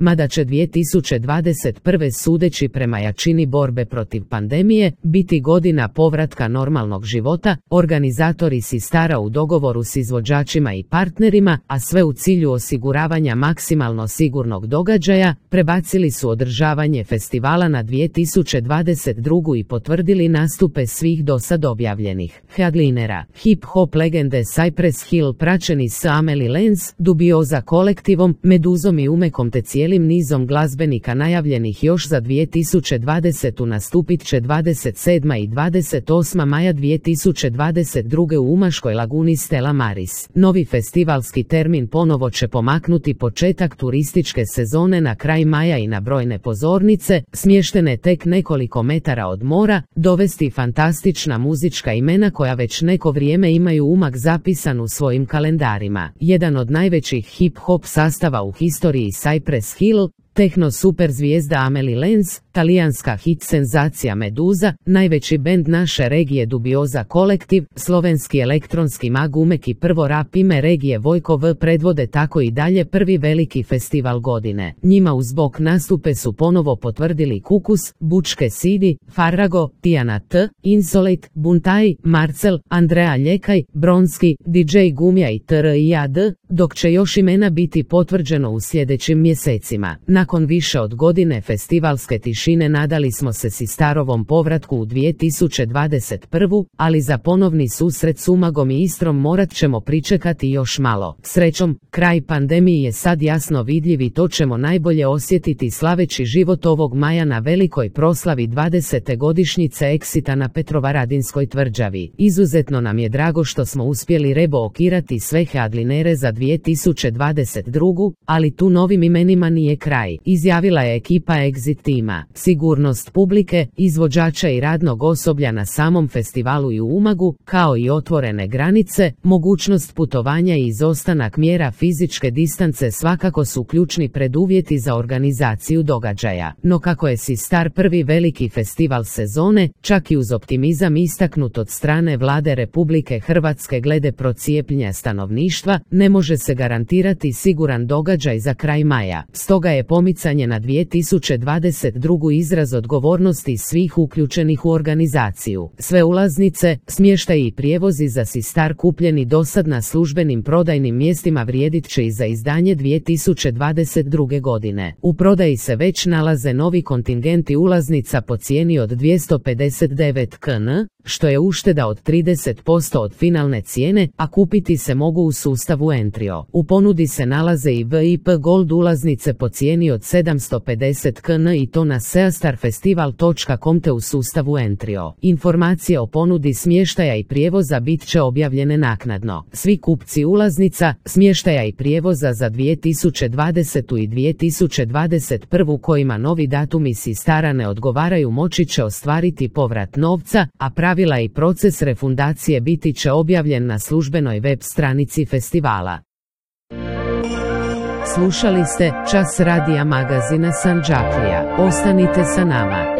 mada će 2021. sudeći prema jačini borbe protiv pandemije biti godina povratka normalnog života, organizatori Sistara u dogovoru s izvođačima i partnerima, a sve u cilju osiguravanja maksimalno sigurnog događaja, prebacili su održavanje festivala na 2022. i potvrdili nastupe svih dosad objavljenih headlinera. Hip-hop legende Cypress Hill praćeni s Amelie Lenz, Dubioza kolektivom, Meduzom i Umekom te cijelim nizom glazbenika najavljenih još za 2020. nastupit će 27. i 28. maja 2022. u Umaškoj laguni Stella Maris. Novi festivalski termin ponovo će pomaknuti početak turističke sezone na kraj maja i na brojne pozornice, smještene tek nekoliko metara od mora, dovesti fantastična muzička imena koja već neko vrijeme imaju Umag zapisan u svojim kalendarima. Jedan od najvećih hip-hop sastava u historiji Cypress Hill, tehno super zvijezda Amelie Lenz, talijanska hit senzacija Meduza, najveći bend naše regije Dubioza kolektiv, slovenski elektronski mag Umek i prvo rap ime regije Vojko V predvode tako i dalje prvi veliki festival godine. Njima uz bok nastupe su ponovo potvrdili Kukus, Bučke Sidi, Farago, Tijana T, Insolate, Buntaj, Marcel, Andrea Ljekaj, Bronski, DJ Gumja i TRIAD, dok će još imena biti potvrđeno u sljedećim mjesecima. Nakon više od godine festivalske tišine nadali smo se Sistarovom povratku u 2021. ali za ponovni susret s Umagom i Istrom morat ćemo pričekati još malo. Srećom, kraj pandemiji je sad jasno vidljiv i to ćemo najbolje osjetiti slaveći život ovog maja na velikoj proslavi 20. godišnjice Exita na Petrovaradinskoj tvrđavi. Izuzetno nam je drago što smo uspjeli reblokirati sve headlinere za 2022. ali tu novim imenima nije kraj, izjavila je ekipa Exit tima. Sigurnost publike, izvođača i radnog osoblja na samom festivalu i u Umagu, kao i otvorene granice, mogućnost putovanja i izostanak mjera fizičke distance svakako su ključni preduvjeti za organizaciju događaja. No kako je Sistar prvi veliki festival sezone, čak i uz optimizam istaknut od strane Vlade Republike Hrvatske glede procijepljenja stanovništva, ne može se garantirati siguran događaj za kraj maja. Stoga je pomicanje na 2022. izraz odgovornosti svih uključenih u organizaciju. Sve ulaznice, smještaj i prijevozi za Sistar kupljeni dosad na službenim prodajnim mjestima vrijedit će i za izdanje 2022. godine. U prodaji se već nalaze novi kontingenti ulaznica po cijeni od 259 kn, što je ušteda od 30% od finalne cijene, a kupiti se mogu u sustavu Entrio. U ponudi se nalaze i VIP Gold ulaznice po cijeni od 750 kn i to na seastarfestival.com te u sustavu Entrio. Informacije o ponudi smještaja i prijevoza bit će objavljene naknadno. Svi kupci ulaznica, smještaja i prijevoza za 2020. i 2021. kojima novi datumi Sistara ne odgovaraju moći će ostvariti povrat novca, a pravila i proces refundacije biti će objavljen na službenoj web stranici festivala. Slušali ste Čas radija magazina Sandžaklija. Ostanite sa nama.